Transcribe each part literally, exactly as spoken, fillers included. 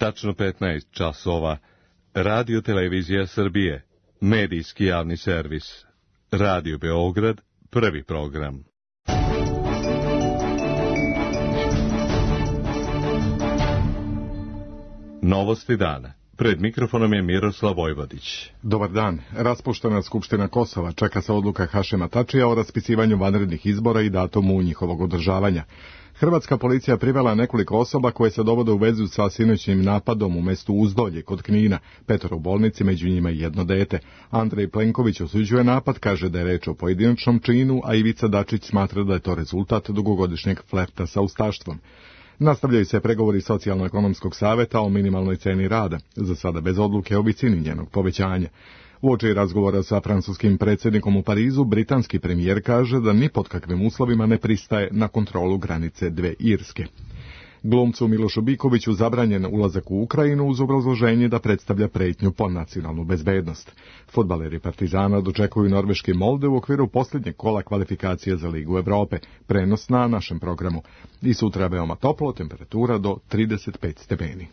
Tačno petnaest časova. Radio Televizija Srbije. Medijski javni servis. Radio Beograd. Prvi program. Novosti dana. Pred mikrofonom je Miroslav Vojvodić. Dobar dan. Raspuštena Skupština Kosova, čeka se odluka Hašima Tačija o raspisivanju vanrednih izbora i datumu njihovog održavanja. Hrvatska policija privela nekoliko osoba koje se dovode u vezu sa sinoćnim napadom u mestu Uzdolje kod Knina, petoro u bolnici, među njima i jedno dete. Andrej Plenković osuđuje napad, kaže da je reč o pojedinačnom činu, a Ivica Dačić smatra da je to rezultat dugogodišnjeg flerta sa ustaštvom. Nastavljaju se pregovori Socijalno-ekonomskog saveta o minimalnoj ceni rada, za sada bez odluke o visini njenog povećanja. Uoči razgovora sa francuskim predsjednikom u Parizu, britanski premijer kaže da ni pod kakvim uslovima ne pristaje na kontrolu granice dve Irske. Glumcu Milošu Bikoviću zabranjen ulazak u Ukrajinu uz obrazloženje da predstavlja pretnju po nacionalnu bezbednost. Fudbaleri Partizana dočekuju norveški Molde u okviru posljednjeg kola kvalifikacije za Ligu Evrope, prenos na našem programu. I sutra veoma toplo, temperatura do trideset pet stepeni.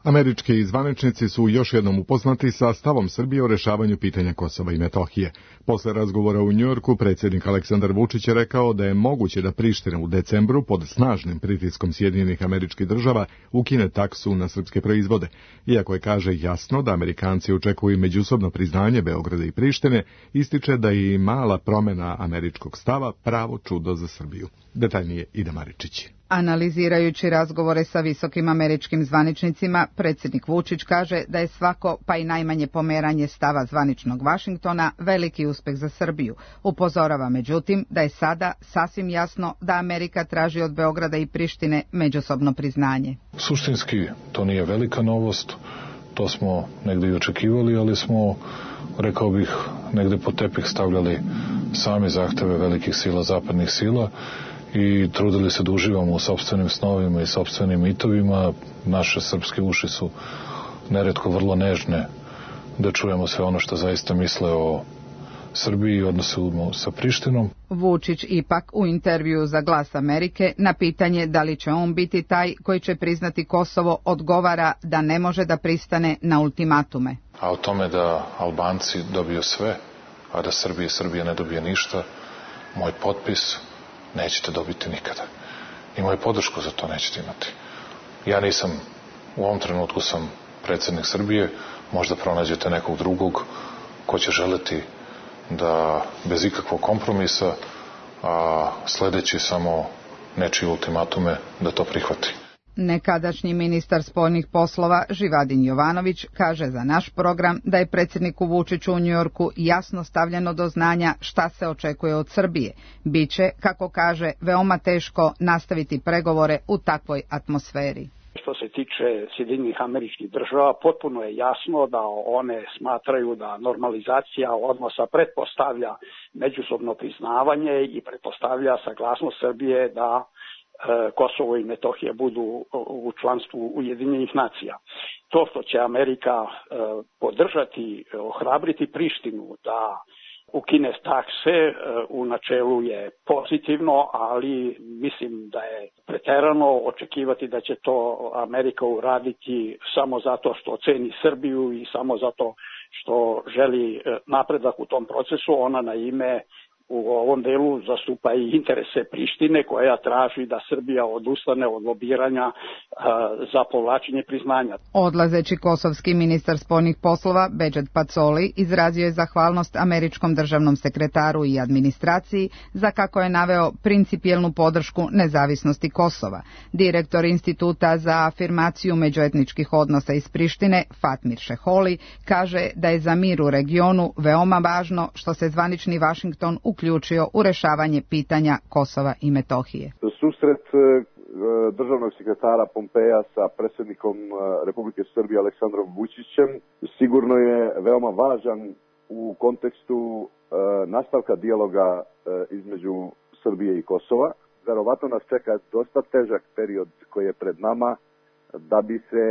Američki zvaničnici su još jednom upoznati sa stavom Srbije o rešavanju pitanja Kosova i Metohije. Posle razgovora u Njujorku, predsjednik Aleksandar Vučić je rekao da je moguće da Priština u decembru pod snažnim pritiskom Sjedinjenih Američkih Država ukine taksu na srpske proizvode. Iako je, kaže, jasno da Amerikanci očekuju međusobno priznanje Beograda i Prištine, ističe da je i mala promjena američkog stava pravo čudo za Srbiju. Detaljnije Ida Maričić. Analizirajući razgovore sa visokim američkim zvaničnicima, predsjednik Vučić kaže da je svako, pa i najmanje pomeranje stava zvaničnog Vašingtona, veliki uspeh za Srbiju. Upozorava međutim da je sada sasvim jasno da Amerika traži od Beograda i Prištine međusobno priznanje. Suštinski to nije velika novost, to smo negdje i očekivali, ali smo, rekao bih, negdje po tepih stavljali sami zahteve velikih sila, zapadnih sila, i trudili se da uživamo u sopstvenim snovima i sopstvenim mitovima. Naše srpske uši su neretko vrlo nežne da čujemo sve ono što zaista misle o Srbiji i odnosu sa Prištinom. Vučić ipak u intervju za Glas Amerike na pitanje da li će on biti taj koji će priznati Kosovo odgovara da ne može da pristane na ultimatume. A o tome da Albanci dobiju sve, a da Srbija i Srbija ne dobije ništa, moj potpis nećete dobiti nikada. I moju podršku za to nećete imati. Ja nisam, u ovom trenutku sam predsjednik Srbije, možda pronađete nekog drugog ko će želeti da bez ikakvog kompromisa, a sledeći samo nečije ultimatume, da to prihvati. Nekadašnji ministar spoljnih poslova Živadin Jovanović kaže za naš program da je predsjedniku Vučiću u Njujorku jasno stavljeno do znanja šta se očekuje od Srbije. Biće, kako kaže, veoma teško nastaviti pregovore u takvoj atmosferi. Što se tiče Sjedinjenih Američkih Država, potpuno je jasno da one smatraju da normalizacija odnosa pretpostavlja međusobno priznavanje i pretpostavlja saglasnost Srbije da Kosovo i Metohija budu u članstvu Ujedinjenih nacija. To što će Amerika podržati, ohrabriti Prištinu da ukine takse, u načelu je pozitivno, ali mislim da je preterano očekivati da će to Amerika uraditi samo zato što ceni Srbiju i samo zato što želi napredak u tom procesu. Ona na ime u ovom delu zastupa i interese Prištine koja traži da Srbija odustane od lobiranja a, za povlačenje priznanja. Odlazeći kosovski ministar spoljnih poslova Bedžet Pacoli izrazio je zahvalnost američkom državnom sekretaru i administraciji za, kako je naveo, principijelnu podršku nezavisnosti Kosova. Direktor Instituta za afirmaciju međuetničkih odnosa iz Prištine, Fatmir Šeholi, kaže da je za mir u regionu veoma važno što se zvanični Vašington uključio u rešavanje pitanja Kosova i Metohije. Susret državnog sekretara Pompeja sa predsjednikom Republike Srbije Aleksandrom Vučićem sigurno je veoma važan u kontekstu nastavka dijaloga između Srbije i Kosova. Verovatno nas čeka dosta težak period koji je pred nama da bi se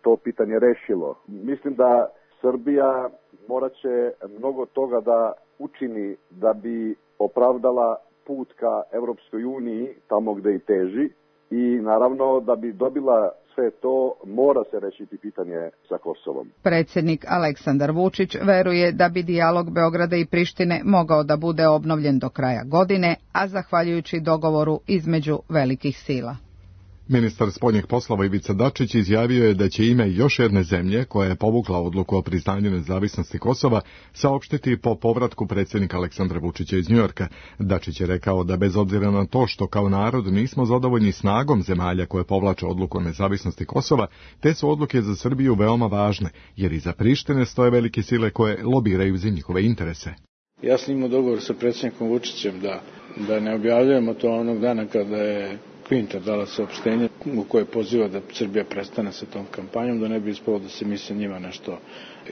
to pitanje rešilo. Mislim da Srbija morat će mnogo toga da učini da bi opravdala put ka Evropskoj uniji, tamo gde i teži, i naravno da bi dobila sve to, mora se rešiti pitanje sa Kosovom. Predsjednik Aleksandar Vučić veruje da bi dijalog Beograda i Prištine mogao da bude obnovljen do kraja godine, a zahvaljujući dogovoru između velikih sila. Ministar spoljnih poslova Ivica Dačić izjavio je da će ime još jedne zemlje, koja je povukla odluku o priznanju nezavisnosti Kosova, saopštiti po povratku predsjednika Aleksandra Vučića iz Njujorka. Dačić je rekao da bez obzira na to što kao narod nismo zadovoljni snagom zemalja koje povlače odluku o nezavisnosti Kosova, te su odluke za Srbiju veoma važne, jer iza Prištine stoje velike sile koje lobiraju za njihove interese. Ja sam imao dogovor sa predsjednikom Vučićem da, da ne objavljujemo to onog dana kada je Kvinta dala saopštenje u koje poziva da Srbija prestane sa tom kampanjom, da ne bi ispalo da se mi sa njima nešto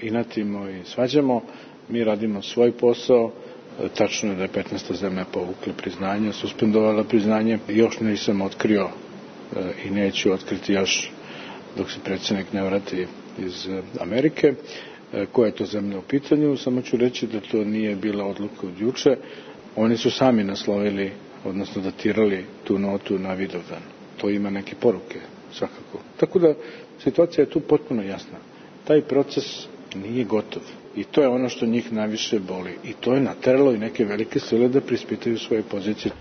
inatimo i svađamo. Mi radimo svoj posao. Tačno je da je petnaesta zemlja povukla priznanje, suspendovala priznanje. Još nisam otkrio i neću otkriti još dok se predsjednik ne vrati iz Amerike. Koja je to zemlja u pitanju? Samo ću reći da to nije bila odluka od juče. Oni su sami naslovili, odnosno datirali tu notu na Vidovdan. To ima neke poruke, svakako. Tako da situacija je tu potpuno jasna. Taj proces nije gotov. I to je ono što njih najviše boli. I to je nateralo i neke velike sile da prispitaju svoje pozicije.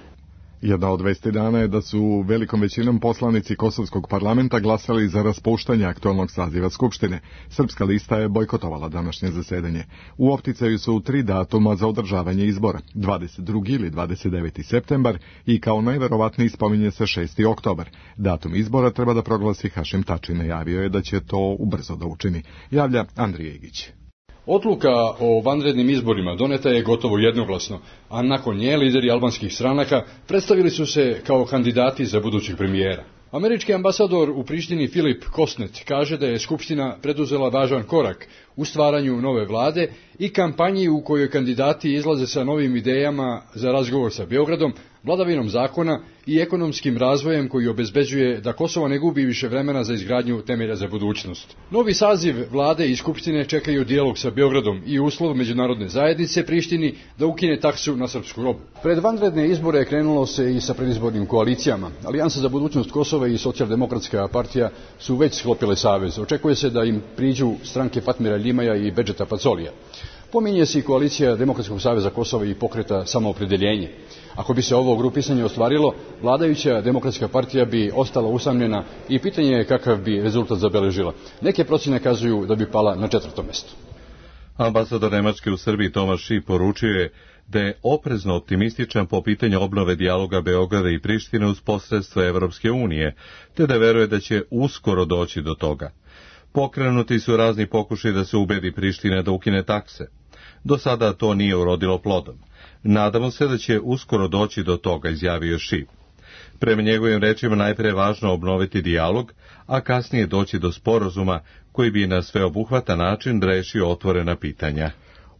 Jedna od vesti dana je da su velikom većinom poslanici Kosovskog parlamenta glasali za raspuštanje aktualnog saziva Skupštine. Srpska lista je bojkotovala današnje zasedanje. U opticaju su tri datuma za održavanje izbora, dvadeset drugi ili dvadeset deveti septembar i kao najverovatniji spominje se šesti oktobar. Datum izbora treba da proglasi Hašim Tači, najavio je da će to ubrzo da učini. Javlja Andrija Igić. Odluka o vanrednim izborima doneta je gotovo jednoglasno, a nakon nje lideri albanskih stranaka predstavili su se kao kandidati za budućeg premijera. Američki ambasador u Prištini Filip Kosnet kaže da je Skupština preduzela važan korak u stvaranju nove vlade i kampanji u kojoj kandidati izlaze sa novim idejama za razgovor sa Beogradom, vladavinom zakona i ekonomskim razvojem koji obezbeđuje da Kosovo ne gubi više vremena za izgradnju temelja za budućnost. Novi saziv vlade i Skupštine čekaju dijalog sa Beogradom i uslov međunarodne zajednice Prištini da ukine taksu na srpsku robu. Pred vanredne izbore krenulo se i sa predizbornim koalicijama. Alijansa za budućnost Kosova i Socijaldemokratska partija su već sklopile savez. Očekuje se da im priđu stranke Fatmira Ljimaja i Bedžeta Pacolija. Pominje se i koalicija Demokratskog saveza Kosova i pokreta Samoopredeljenje. Ako bi se ovo grupisanje ostvarilo, vladajuća Demokratska partija bi ostala usamljena i pitanje je kakav bi rezultat zabeležila. Neke procjene kazuju da bi pala na četvrtom mjestu. Ambasador Nemačke u Srbiji Tomaš Šip poručio je da je oprezno optimističan po pitanju obnove dijaloga Beograda i Prištine uz posredstvo Evropske unije, te da veruje da će uskoro doći do toga. Pokrenuti su razni pokušaji da se ubedi Priština da ukine takse. Do sada to nije urodilo plodom. Nadamo se da će uskoro doći do toga, izjavio Šip. Prema njegovim rečima najpre je važno obnoviti dijalog, a kasnije doći do sporazuma koji bi na sveobuhvatan način rešio otvorena pitanja.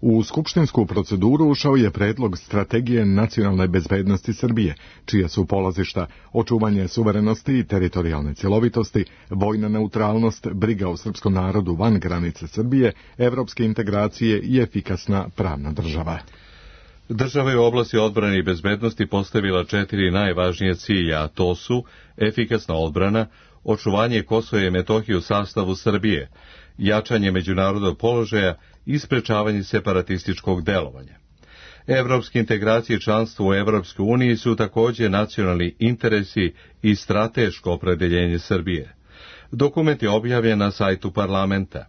U skupštinsku proceduru ušao je predlog strategije nacionalne bezbednosti Srbije, čija su polazišta očuvanje suverenosti i teritorijalne cjelovitosti, vojna neutralnost, briga o srpskom narodu van granice Srbije, evropske integracije i efikasna pravna država. Država je u oblasti odbrane i bezbednosti postavila četiri najvažnije cilja, a to su efikasna odbrana, očuvanje Kosova i Metohije u sastavu Srbije, jačanje međunarodnog položaja i sprečavanje separatističkog delovanja. Evropske integracije i članstvo u Evropskoj uniji su također nacionalni interesi i strateško opredeljenje Srbije. Dokument je objavljen na sajtu parlamenta.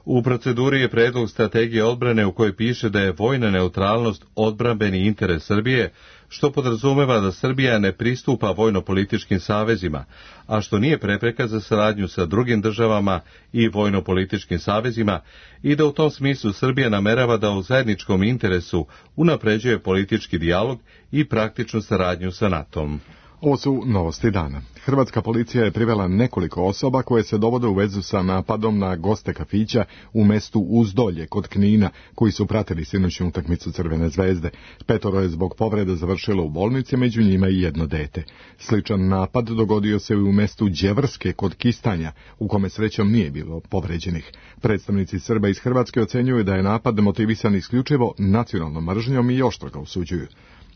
U proceduri je predlog strategije odbrane u kojoj piše da je vojna neutralnost odbrambeni interes Srbije, što podrazumeva da Srbija ne pristupa vojno-političkim savezima, a što nije prepreka za saradnju sa drugim državama i vojno-političkim savezima i da u tom smislu Srbija namerava da u zajedničkom interesu unapređuje politički dijalog i praktičnu saradnju sa NATO-om. Ovo su novosti dana. Hrvatska policija je privela nekoliko osoba koje se dovode u vezu sa napadom na goste kafića u mestu Uzdolje kod Knina, koji su pratili sinoćnu utakmicu Crvene zvezde. Petoro je zbog povrede završilo u bolnici, među njima i jedno dete. Sličan napad dogodio se i u mestu Đevrske kod Kistanja, u kome srećom nije bilo povređenih. Predstavnici Srba iz Hrvatske ocenjuju da je napad motivisan isključivo nacionalnom mržnjom i oštro ga osuđuju.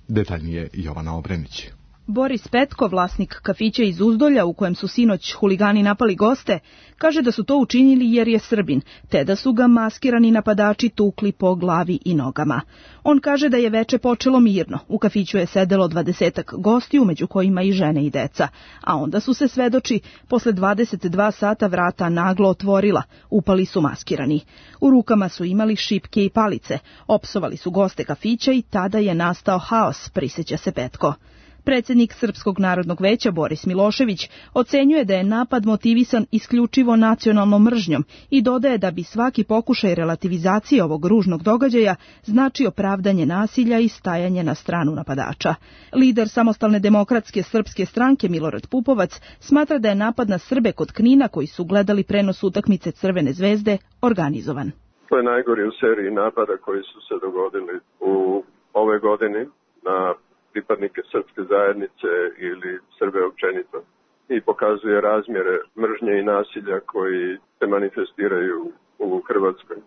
Detaljnije Jovana Obrenić. Boris Petko, vlasnik kafića iz Uzdolja u kojem su sinoć huligani napali goste, kaže da su to učinili jer je Srbin, te da su ga maskirani napadači tukli po glavi i nogama. On kaže da je veče počelo mirno, u kafiću je sedelo dvadesetak gostiju, među kojima i žene i deca, a onda su se, svedoči, posle dvadeset dva sata vrata naglo otvorila, upali su maskirani. U rukama su imali šipke i palice, opsovali su goste kafića i tada je nastao haos, prisjeća se Petko. Predsjednik Srpskog narodnog veća Boris Milošević ocenjuje da je napad motivisan isključivo nacionalnom mržnjom i dodaje da bi svaki pokušaj relativizacije ovog ružnog događaja značio pravdanje nasilja i stajanje na stranu napadača. Lider Samostalne demokratske srpske stranke Milorad Pupovac smatra da je napad na Srbe kod Knina, koji su gledali prenos utakmice Crvene zvezde, organizovan. To je najgori u seriji napada koji su se dogodili u ove godine na pripadnike srpske zajednice ili Srbe općenito i pokazuje razmjere mržnje i nasilja koji se manifestiraju u Hrvatskoj.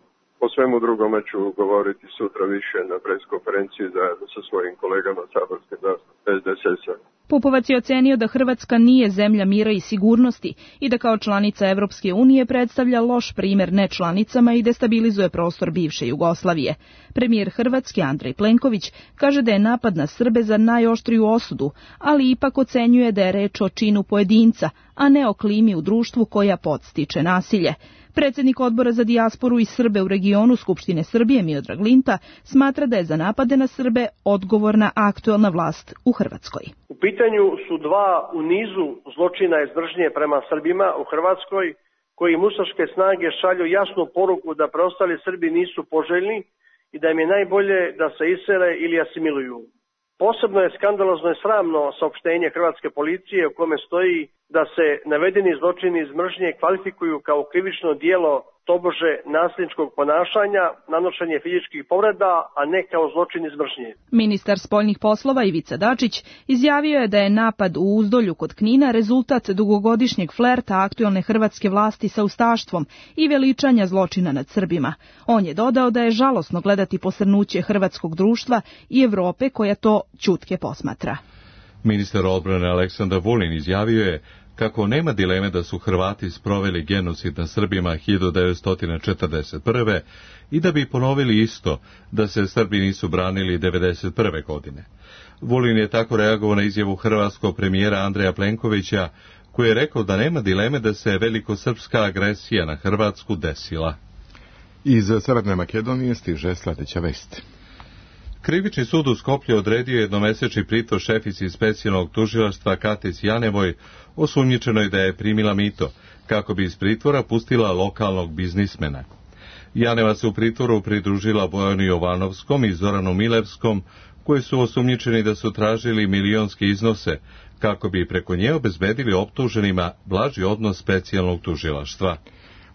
O svemu drugome ću govoriti sutra više na preskonferenciji zajedno sa svojim kolegama saborskim zastupnicima S D S S-a. Pupovac je ocenio da Hrvatska nije zemlja mira i sigurnosti i da kao članica Evropske unije predstavlja loš primjer nečlanicama i destabilizuje prostor bivše Jugoslavije. Premijer Hrvatske Andrej Plenković kaže da je napad na Srbe za najoštriju osudu, ali ipak ocenjuje da je reč o činu pojedinca, a ne o klimi u društvu koja podstiče nasilje. Predsjednik Odbora za dijasporu i Srbe u regionu Skupštine Srbije Miodrag Linta smatra da je za napade na Srbe odgovorna aktuelna vlast u Hrvatskoj. U pitanju su dva u nizu zločina iz mržnje prema Srbima u Hrvatskoj, koji musaške snage šalju jasnu poruku da preostali Srbi nisu poželjni i da im je najbolje da se isele ili asimiluju. Posebno je skandalozno i sramno saopštenje hrvatske policije u kome stoji da se navedeni zločini iz mržnje kvalifikuju kao krivično djelo tobože nasilničkog ponašanja, nanošenje fizičkih povreda, a ne kao zločin iz mržnje. Ministar spoljnih poslova Ivica Dačić izjavio je da je napad u Uzdolju kod Knina rezultat dugogodišnjeg flerta aktuelne hrvatske vlasti sa ustaštvom i veličanja zločina nad Srbima. On je dodao da je žalosno gledati posrnuće hrvatskog društva i Evrope koja to ćutke posmatra. Ministar odbrane Aleksandar Vulin izjavio je kako nema dileme da su Hrvati sproveli genocid na Srbima hiljadu devetsto četrdeset prve i da bi ponovili isto da se Srbi nisu branili devedeset prve godine. Vulin je tako reagovao na izjavu hrvatskog premijera Andreja Plenkovića, koji je rekao da nema dileme da se velikosrpska agresija na Hrvatsku desila. Iz Severne Makedonije stiže sljedeća vest. Krivični sud u Skoplju odredio jednomesečni pritvor šefici specijalnog tužilaštva Katic Janevoj, osumnjičenoj da je primila mito, kako bi iz pritvora pustila lokalnog biznismena. Janeva se u pritvoru pridružila Bojanu Jovanovskom i Zoranu Milevskom, koji su osumnjičeni da su tražili milionske iznose, kako bi preko nje obezbedili optuženima blaži odnos specijalnog tužilaštva.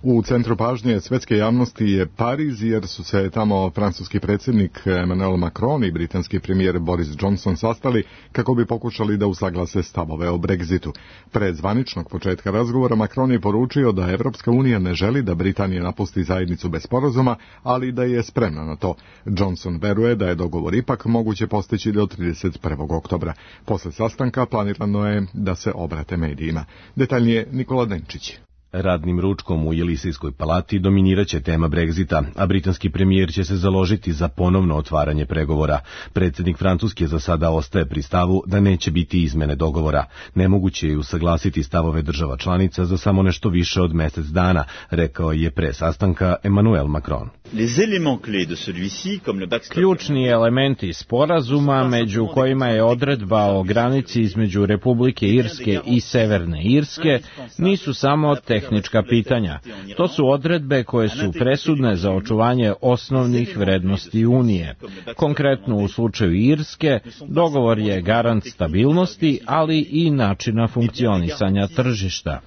U centru pažnje svetske javnosti je Pariz, jer su se tamo francuski predsjednik Emmanuel Macron i britanski premijer Boris Johnson sastali kako bi pokušali da usaglase stavove o Brexitu. Pred zvaničnog početka razgovora Macron je poručio da Evropska unija ne želi da Britanija napusti zajednicu bez sporazuma, ali da je spremna na to. Johnson veruje da je dogovor ipak moguće postići do trideset prvog oktobra. Posle sastanka planirano je da se obrate medijima. Detaljnije Nikola Denčić. Radnim ručkom u Jelisejskoj palati dominiraće tema Brexita, a britanski premijer će se založiti za ponovno otvaranje pregovora. Predsjednik Francuske za sada ostaje pri stavu da neće biti izmene dogovora. Nemoguće je usaglasiti stavove država članica za samo nešto više od mjesec dana, rekao je pre sastanka Emmanuel Macron. Ključni elementi sporazuma, među kojima je odredba o granici između Republike Irske i Severne Irske, nisu samo tehnička pitanja. To su odredbe koje su presudne za očuvanje osnovnih vrednosti Unije. Konkretno u slučaju Irske, dogovor je garant stabilnosti, ali i načina funkcionisanja tržišta.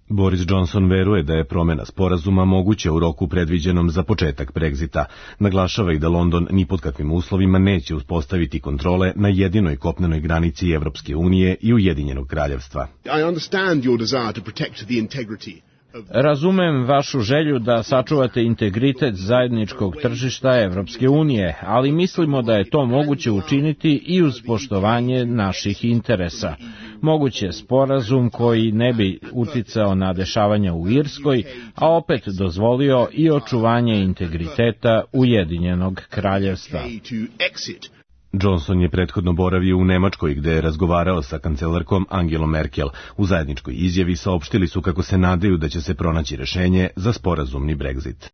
Boris Johnson veruje da je promjena sporazuma moguća u roku predviđenom za početak Brexita. Naglašava i da London ni pod kakvim uslovima neće uspostaviti kontrole na jedinoj kopnenoj granici Evropske unije i Ujedinjenog kraljevstva. Razumem vašu želju da sačuvate integritet zajedničkog tržišta Evropske unije, ali mislimo da je to moguće učiniti i uz poštovanje naših interesa. Moguće sporazum koji ne bi uticao na dešavanja u Irskoj, a opet dozvolio i očuvanje integriteta Ujedinjenog kraljevstva. Johnson je prethodno boravio u Nemačkoj gde je razgovarao sa kancelarkom Angelom Merkel. U zajedničkoj izjavi saopštili su kako se nadaju da će se pronaći rešenje za sporazumni Brexit.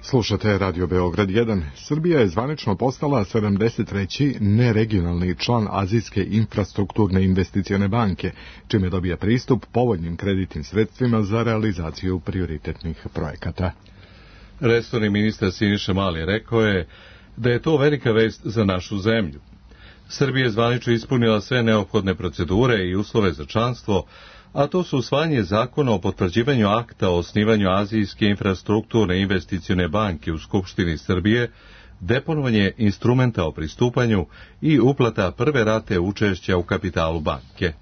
Slušate Radio Beograd jedan. Srbija je zvanično postala sedamdeset treći neregionalni član Azijske infrastrukturne investicione banke, čime dobija pristup povoljnim kreditnim sredstvima za realizaciju prioritetnih projekata. Resorni ministar Siniša Mali rekao je da je to velika vest za našu zemlju. Srbija je zvanično ispunila sve neophodne procedure i uslove za članstvo, a to su usvajanje zakona o potvrđivanju akta o osnivanju Azijske infrastrukturne investicione banke u Skupštini Srbije, deponovanje instrumenta o pristupanju i uplata prve rate učešća u kapitalu banke.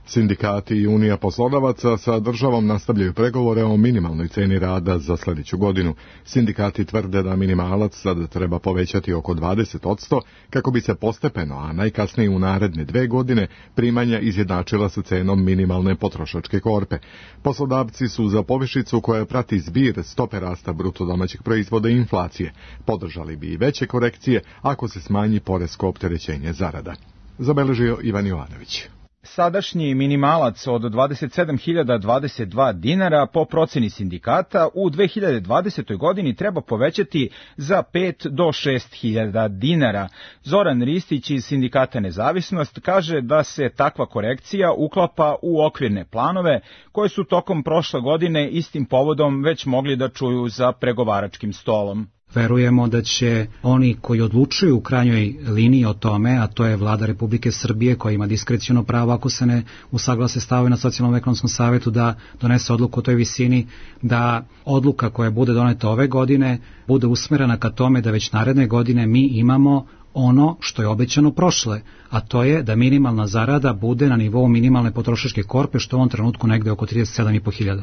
Sindikati i Unija poslodavaca sa državom nastavljaju pregovore o minimalnoj ceni rada za sljedeću godinu. Sindikati tvrde da minimalac sada treba povećati oko dvadeset posto kako bi se postepeno, a najkasnije u naredne dve godine, primanja izjednačila sa cenom minimalne potrošačke korpe. Poslodavci su za povišicu koja prati zbir stope rasta bruto domaćeg proizvoda i inflacije. Podržali bi i veće korekcije ako se smanji poresko opterećenje zarada. Zabeležio Ivan Jovanović. Sadašnji minimalac od dvadeset sedam hiljada dvadeset dva dinara po proceni sindikata u dve hiljade dvadesetoj godini treba povećati za pet do šest hiljada dinara. Zoran Ristić iz Sindikata Nezavisnost kaže da se takva korekcija uklapa u okvirne planove koje su tokom prošle godine istim povodom već mogli da čuju za pregovaračkim stolom. Verujemo da će oni koji odlučuju u krajnjoj liniji o tome, a to je Vlada Republike Srbije koja ima diskreciono pravo ako se ne usaglase stavovi na socijalnom ekonomskom savetu da donese odluku o toj visini, da odluka koja bude doneta ove godine bude usmerena ka tome da već naredne godine mi imamo ono što je obećano prošle, a to je da minimalna zarada bude na nivou minimalne potrošačke korpe, što u ovom trenutku negde oko trideset sedam i po hiljada.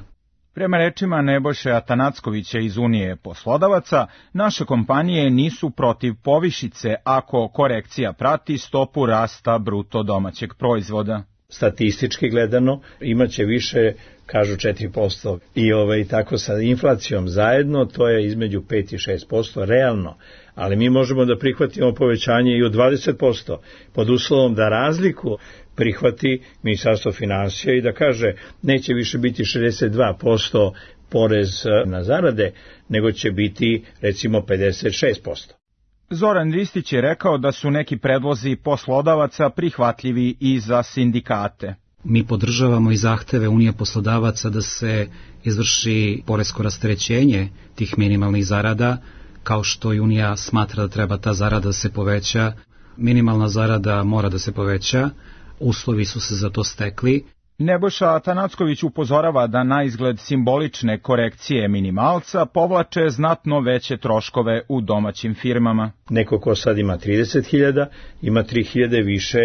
Prema rečima Nebojše Atanackovića iz Unije poslodavaca, naše kompanije nisu protiv povišice ako korekcija prati stopu rasta bruto domaćeg proizvoda. Statistički gledano imaće više, kažu četiri posto, i ovaj, tako sa inflacijom zajedno to je između pet i šest posto realno, ali mi možemo da prihvatimo povećanje i od dvadeset posto pod uslovom da razliku prihvati Ministarstvo finansija i da kaže neće više biti šezdeset dva posto porez na zarade, nego će biti recimo pedeset šest posto. Zoran Ristić je rekao da su neki predlozi poslodavaca prihvatljivi i za sindikate. Mi podržavamo i zahteve Unije poslodavaca da se izvrši poresko rasterećenje tih minimalnih zarada, kao što i Unija smatra da treba ta zarada da se poveća. Minimalna zarada mora da se poveća, uslovi su se za to stekli. Nebojša Atanacković upozorava da na izgled simbolične korekcije minimalca povlače znatno veće troškove u domaćim firmama. Neko ko sad ima trideset hiljada, ima tri hiljade više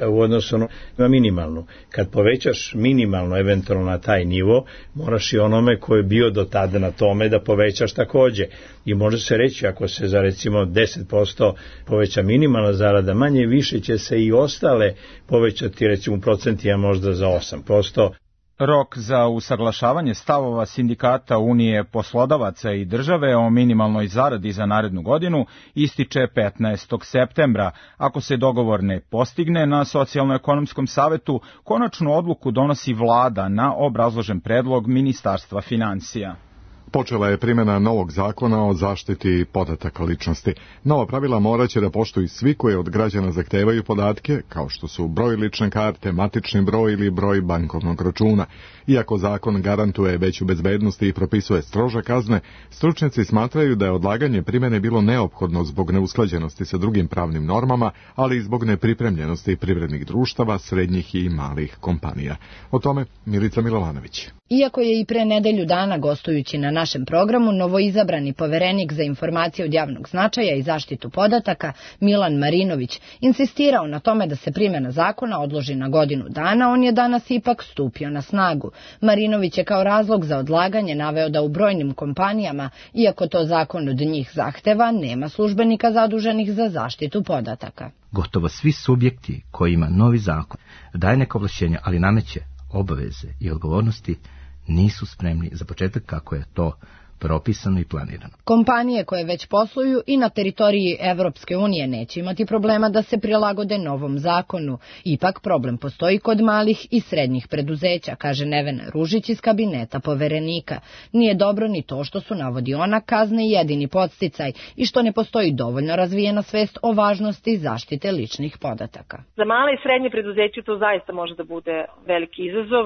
u odnosu na minimalnu. Kad povećaš minimalno eventualno na taj nivo, moraš i onome ko je bio do tada na tome da povećaš takođe. I može se reći ako se za recimo deset posto poveća minimalna zarada, manje više će se i ostale povećati recimo procentima možda za osam posto. Rok za usaglašavanje stavova sindikata Unije poslodavaca i države o minimalnoj zaradi za narednu godinu ističe petnaestog septembra. Ako se dogovor ne postigne na Socijalno-ekonomskom savetu, konačnu odluku donosi vlada na obrazložen predlog Ministarstva finansija. Počela je primjena novog zakona o zaštiti podataka ličnosti. Nova pravila moraće da poštuju svi koji od građana zahtevaju podatke, kao što su broj lične karte, matični broj ili broj bankovnog računa. Iako zakon garantuje veću bezbednost i propisuje strože kazne, stručnjaci smatraju da je odlaganje primjene bilo neophodno zbog neusklađenosti sa drugim pravnim normama, ali i zbog nepripremljenosti privrednih društava, srednjih i malih kompanija. O tome Milica Milovanović. Iako je i pre nedelju dana gostujući na našem programu novoizabrani poverenik za informacije od javnog značaja i zaštitu podataka Milan Marinović insistirao na tome da se primjena zakona odloži na godinu dana, on je danas ipak stupio na snagu. Marinović je kao razlog za odlaganje naveo da u brojnim kompanijama, iako to zakon od njih zahteva, nema službenika zaduženih za zaštitu podataka. Gotovo svi subjekti kojima novi zakon daje neka ovlašćenja, ali nameće obaveze i odgovornosti, nisu spremni za početak kako je to propisano i planirano. Kompanije koje već posluju i na teritoriji Evropske unije neće imati problema da se prilagode novom zakonu. Ipak problem postoji kod malih i srednjih preduzeća, kaže Nevena Ružić iz kabineta poverenika. Nije dobro ni to što su, navodi ona, kazne jedini podsticaj i što ne postoji dovoljno razvijena svest o važnosti zaštite ličnih podataka. Za male i srednje preduzeće to zaista može da bude veliki izazov.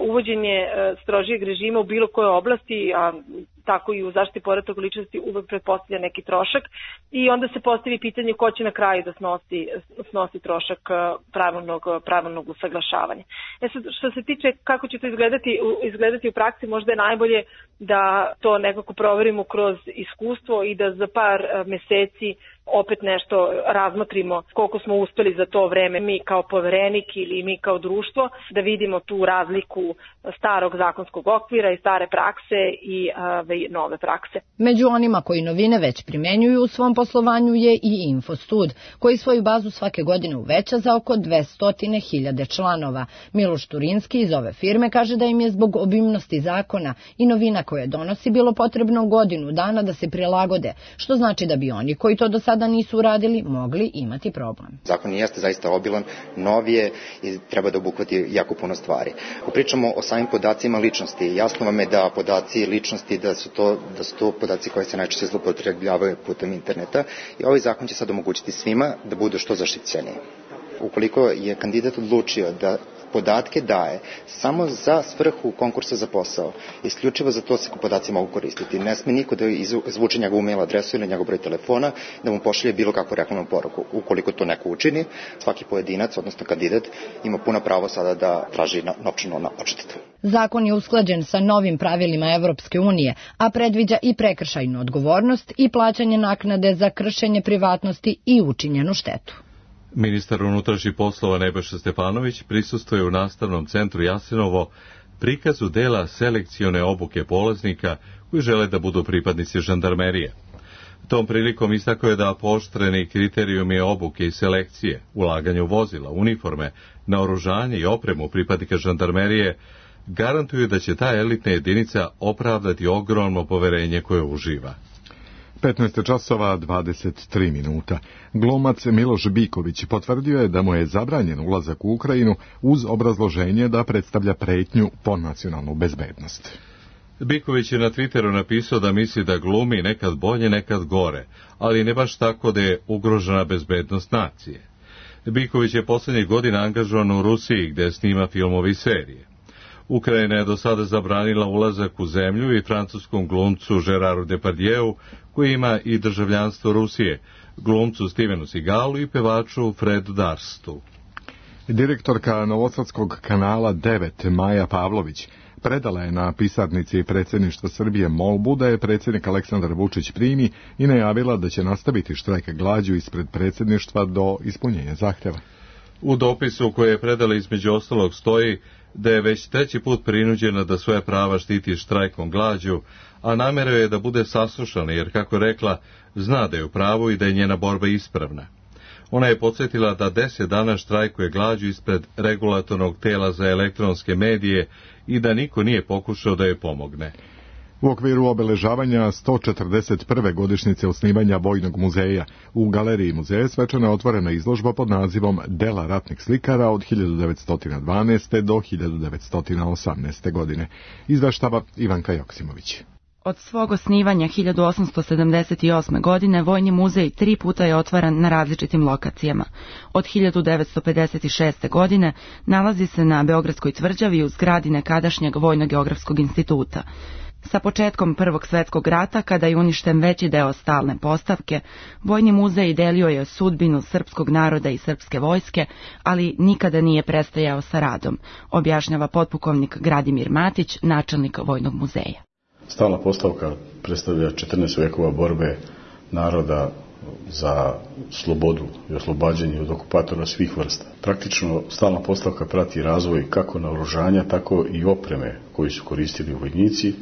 Uvođenje strožijeg režima u bilo kojoj oblasti, a tako i u zaštiti podataka ličnosti, uvek pretpostavlja neki trošak i onda se postavi pitanje ko će na kraju da snosi, snosi trošak pravilnog, pravilnog usaglašavanja. E sad, što se tiče kako će to izgledati, izgledati u praksi, možda je najbolje da to nekako proverimo kroz iskustvo i da za par meseci opet nešto razmotrimo koliko smo uspeli za to vreme mi kao poverenik ili mi kao društvo, da vidimo tu razliku starog zakonskog okvira i stare prakse i ove, nove prakse. Među onima koji novine već primenjuju u svom poslovanju je i Infostud, koji svoju bazu svake godine uveća za oko dvesta hiljada članova. Miloš Turinski iz ove firme kaže da im je zbog obimnosti zakona i novina koje donosi bilo potrebno godinu dana da se prilagode, što znači da bi oni koji to do sada da nisu uradili, mogli imati problem. Zakon jeste zaista obilan, nov je i treba da obuhvati jako puno stvari. Ako pričamo o samim podacima ličnosti, jasno vam je da podaci ličnosti, da su to, da su to podaci koji se najčešće zloupotrebljavaju putem interneta i ovaj zakon će sad omogućiti svima da budu što zaštićeniji. Ukoliko je kandidat odlučio da podatke daje samo za svrhu konkursa za posao, isključivo za to se podaci mogu koristiti. Ne sme niko da izvuče njegovu mail adresu ili njegov broj telefona, da mu pošalje bilo kakvu reklamnu poruku. Ukoliko to neko učini, svaki pojedinac, odnosno kandidat, ima puno pravo sada da traži novčanu odštetu. Zakon je usklađen sa novim pravilima Evropske unije, a predviđa i prekršajnu odgovornost i plaćanje naknade za kršenje privatnosti i učinjenu štetu. Ministar unutrašnjih poslova Nebojša Stefanović prisustvuje u nastavnom centru Jasenovo prikazu dela selekcione obuke polaznika koji žele da budu pripadnici žandarmerije. Tom prilikom istakao je da pooštreni kriterijumi obuke i selekcije, ulaganje u vozila, uniforme, naoružanje i opremu pripadnika žandarmerije garantuju da će ta elitna jedinica opravdati ogromno poverenje koje uživa. petnaest časova dvadeset tri minuta. Glumac Miloš Biković potvrdio je da mu je zabranjen ulazak u Ukrajinu uz obrazloženje da predstavlja pretnju po nacionalnu bezbednost. Biković je na Twitteru napisao da misli da glumi nekad bolje, nekad gore, ali ne baš tako da je ugrožena bezbednost nacije. Biković je poslednjih godina angažovan u Rusiji gde snima filmovi i serije. Ukrajina je do sada zabranila ulazak u zemlju i francuskom glumcu Geraru Depardieu, koji ima i državljanstvo Rusije, glumcu Stevenu Seagalu i pevaču Fredu Darstu. Direktorka Novosadskog kanala devet Maja Pavlović predala je na pisarnici predsjedništva Srbije molbu da je predsjednik Aleksandar Vučić primi i najavila da će nastaviti štrajk glađu ispred predsjedništva do ispunjenja zahtjeva. U dopisu koje je predala između ostalog stoji da je već treći put prinuđena da svoje prava štiti štrajkom glađu, a namera je da bude saslušana jer, kako je rekla, zna da je u pravu i da je njena borba ispravna. Ona je podsjetila da deset dana štrajkuje glađu ispred regulatornog tela za elektronske medije i da niko nije pokušao da joj pomogne. U okviru obeležavanja sto četrdeset prve godišnjice osnivanja Vojnog muzeja u galeriji muzeja svečano je otvorena izložba pod nazivom Dela ratnih slikara od hiljadu devetsto dvanaeste. do hiljadu devetsto osamnaeste. godine. Izveštava Ivanka Joksimović. Od svog osnivanja hiljadu osamsto sedamdeset osme. godine Vojni muzej tri puta je otvaran na različitim lokacijama. Od hiljadu devetsto pedeset šeste. godine nalazi se na Beogradskoj tvrđavi u zgradi nekadašnjeg Vojno-geografskog instituta. Sa početkom Prvog svjetskog rata, kada je uništen veći deo stalne postavke, Vojni muzej delio je sudbinu srpskog naroda i srpske vojske, ali nikada nije prestajao sa radom, objašnjava potpukovnik Gradimir Matić, načelnik Vojnog muzeja. Stalna postavka predstavlja četrnaest vekova borbe naroda za slobodu i oslobađanje od okupatora svih vrsta. Praktično stalna postavka prati razvoj kako naoružanja, tako i opreme koju su koristili vojnici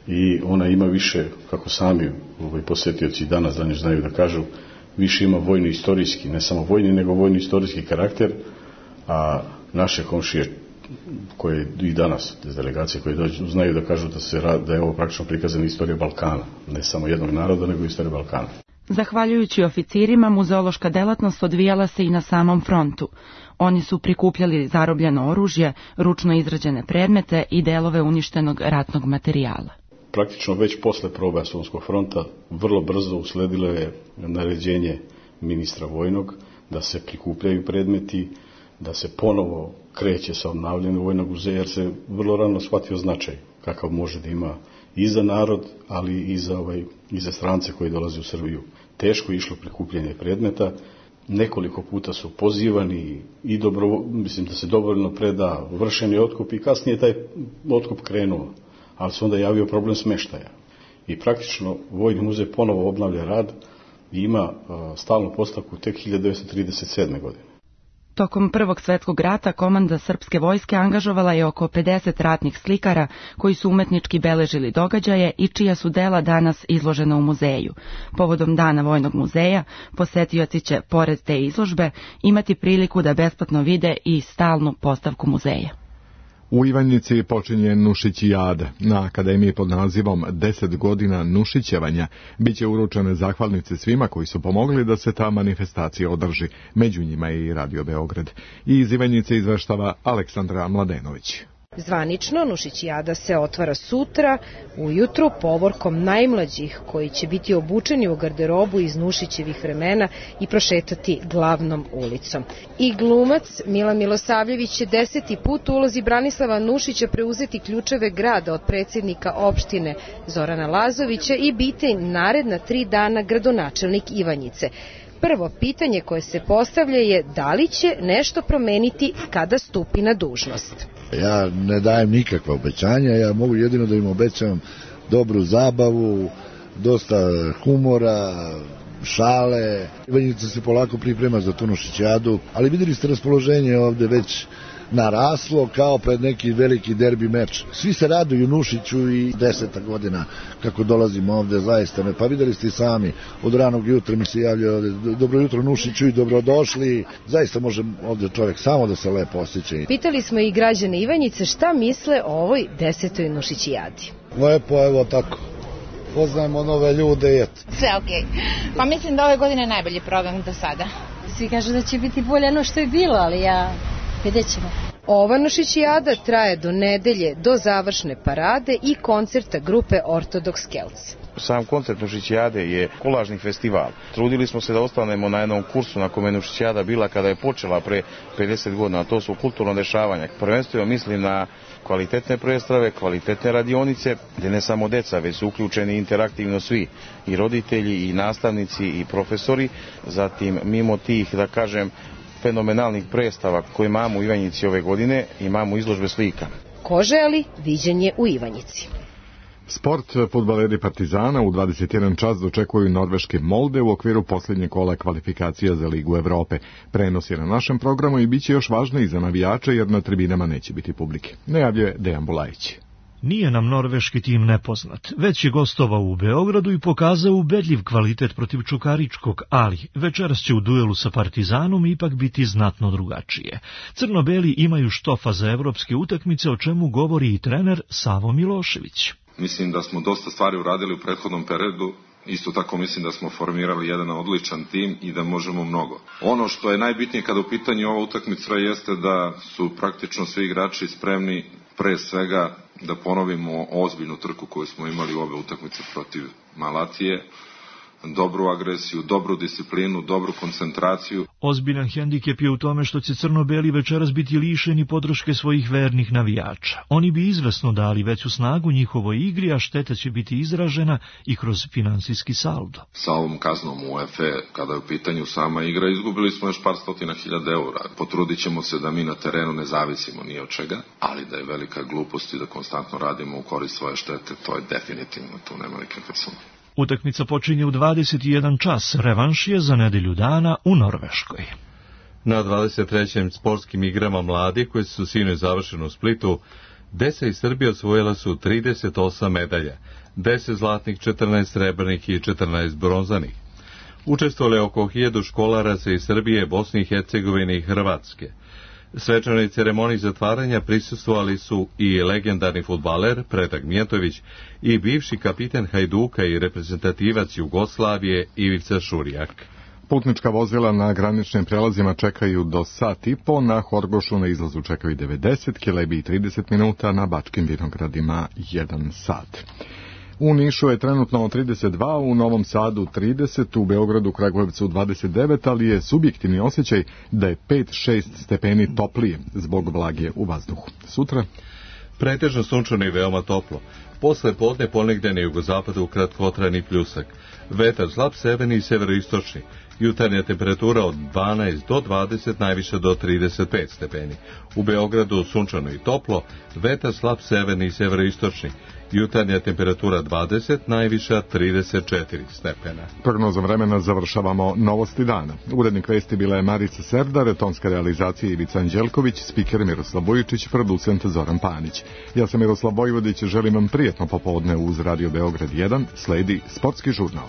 i ona ima više, kako sami ovaj, posetioci danas danas znaju da kažu, više ima vojno-istorijski, ne samo vojni, nego vojno-istorijski karakter, a naše komšije koje i danas, delegacije koje dođu, znaju da kažu da, se, da je ovo praktično prikazana istorija Balkana, ne samo jednog naroda, nego istorija Balkana. Zahvaljujući oficirima, muzeološka delatnost odvijala se i na samom frontu. Oni su prikupljali zarobljeno oružje, ručno izrađene predmete i delove uništenog ratnog materijala. Praktično već posle proboja Solunskog fronta vrlo brzo usledilo je naređenje ministra vojnog da se prikupljaju predmeti, da se ponovo kreće sa obnavljanjem vojnog muzeja, jer se vrlo rano shvatio značaj kakav može da ima i za narod, ali i za, ovaj, i za strance koji dolaze u Srbiju. Teško je išlo prikupljanje predmeta, nekoliko puta su pozivani i dobro, mislim da se dobrovoljno preda vršeni otkup i kasnije taj otkup krenuo, ali se onda javio problem smeštaja. I praktično Vojni muzej ponovo obnavlja rad i ima uh, stalnu postavku tek hiljadu devetsto trideset sedme. godine. Tokom Prvog svetskog rata komanda srpske vojske angažovala je oko pedeset ratnih slikara koji su umetnički beležili događaje i čija su dela danas izložena u muzeju. Povodom Dana Vojnog muzeja posetioci će, pored te izložbe, imati priliku da besplatno vide i stalnu postavku muzeja. U Ivanjici počinje Nušićijada. Na akademiji pod nazivom deset godina Nušićevanja biće uručene zahvalnice svima koji su pomogli da se ta manifestacija održi. Među njima je i Radio Beograd. I iz Ivanjice izveštava Aleksandra Mladenović. Zvanično, Nušićijada se otvara sutra, ujutru, povorkom najmlađih koji će biti obučeni u garderobu iz Nušićevih vremena i prošetati glavnom ulicom. I glumac Milan Milosavljević će deseti put u ulozi Branislava Nušića preuzeti ključeve grada od predsjednika opštine Zorana Lazovića i biti naredna tri dana gradonačelnik Ivanjice. Prvo pitanje koje se postavlja je da li će nešto promeniti kada stupi na dužnost. Ja ne dajem nikakva obećanja, ja mogu jedino da im obećam dobru zabavu, dosta humora, šale. Ivanjica se polako priprema za tu Nušićijadu, ali videli ste raspoloženje ovde već naraslo kao pred neki veliki derbi meč. Svi se raduju Nušiću i deseta godina kako dolazimo ovde, zaista me. Pa videli ste i sami, od ranog jutra mi se javljaju ovde, dobro jutro Nušiću i dobrodošli. Zaista može ovde čovjek samo da se lepo osjeća. Pitali smo i građane Ivanjice šta misle o ovoj desetoj Nušićijadi. Lepo, evo tako. Poznajemo nove ljude i eto. Sve okej. Okay. Pa mislim da ove godine najbolji program do sada. Svi kažu da će biti bolje no što je bilo, ali ja... vidjet ćemo. Ova Nušićijada traje do nedelje, do završne parade i koncerta grupe Ortodoks Kelts. Sam koncert Nušićijade je kolažni festival. Trudili smo se da ostanemo na jednom kursu na kome Nušićijada bila kada je počela pre pedeset godina. To su kulturno dešavanja. Prvenstveno mislim na kvalitetne predstave, kvalitetne radionice, gde ne samo deca, već su uključeni interaktivno svi, i roditelji, i nastavnici, i profesori. Zatim, mimo tih, da kažem, fenomenalnih predstava koje imamo u Ivanjici ove godine, imamo izložbe slika. Ko želi, viđenje u Ivanjici. Sport, fudbaleri Partizana u dvadeset jedan čas dočekuju norveške Molde u okviru posljednje kola kvalifikacija za Ligu Evrope. Prenos je na našem programu i bit će još važno i za navijače jer na tribinama neće biti publike. Najavljuje Dejan Bulajić. Nije nam norveški tim nepoznat, već je gostovao u Beogradu i pokazao ubedljiv kvalitet protiv Čukaričkog, ali večeras će u duelu sa Partizanom ipak biti znatno drugačije. Crno-beli imaju štofa za evropske utakmice, o čemu govori i trener Savo Milošević. Mislim da smo dosta stvari uradili u prethodnom periodu. Isto tako mislim da smo formirali jedan odličan tim i da možemo mnogo. Ono što je najbitnije kada u pitanju ova utakmica jeste da su praktično svi igrači spremni pre svega da ponovimo ozbiljnu trku koju smo imali u ove utakmice protiv Malatije, dobru agresiju, dobru disciplinu, dobru koncentraciju. Ozbiljan hendikep je u tome što će crno-beli večeras biti lišeni podrške svojih vernih navijača. Oni bi izvesno dali veću snagu njihovoj igri, a šteta će biti izražena i kroz finansijski saldo. Sa ovom kaznom U E F E, kada je u pitanju sama igra, izgubili smo još par stotina hiljada eura. Potrudit ćemo se da mi na terenu ne zavisimo ni od čega, ali da je velika glupost i da konstantno radimo u korist svoje štete, to je definitivno, tu nema nikakve sumnje. Utakmica počinje u dvadeset jedan čas, revanš je za nedelju dana u Norveškoj. Na dvadeset trećim sportskim igrama mladi, koji su sinoć završeni u Splitu, Desa i Srbija osvojila su trideset osam medalja, deset zlatnih, četrnaest srebrnih i četrnaest bronzanih. Učestvovali oko hiljadu školaraca iz Srbije, Bosne i Hercegovine i Hrvatske. Svečanoj ceremoniji zatvaranja prisustvovali su i legendarni fudbaler Predrag Mijatović i bivši kapiten Hajduka i reprezentativac Jugoslavije Ivica Šurijak. Putnička vozila na graničnim prelazima čekaju do sat i po, na Horgošu na izlazu čekaju devedeset, Kelebiji trideset minuta, na Bačkim Vinogradima jedan sat. U Nišu je trenutno trideset dva, u Novom Sadu trideset, u Beogradu, Kragujevcu dvadeset devet, ali je subjektivni osjećaj da je pet šest stepeni toplije zbog vlage u vazduhu. Sutra pretežno sunčano i veoma toplo. Posle podne ponegde na jugozapadu kratkotrajni pljusak. Vetar slab severni i severoistočni. Jutarnja temperatura od dvanaest do dvadeset, najviše do trideset pet stepeni. U Beogradu sunčano i toplo, vetar slab severni i severoistočni. Jutarnja temperatura dvadeset, najviša trideset četiri stepena. Prognozom vremena završavamo novosti dana. Urednik vesti bila je Marica Serdar, tonska realizacija Ivica Anđelković, spiker Miroslav Bojičić, producent Zoran Panić. Ja sam Miroslav Vojvodić, želim vam prijetno popodne uz Radio Beograd jedan, sledi Sportski žurnal.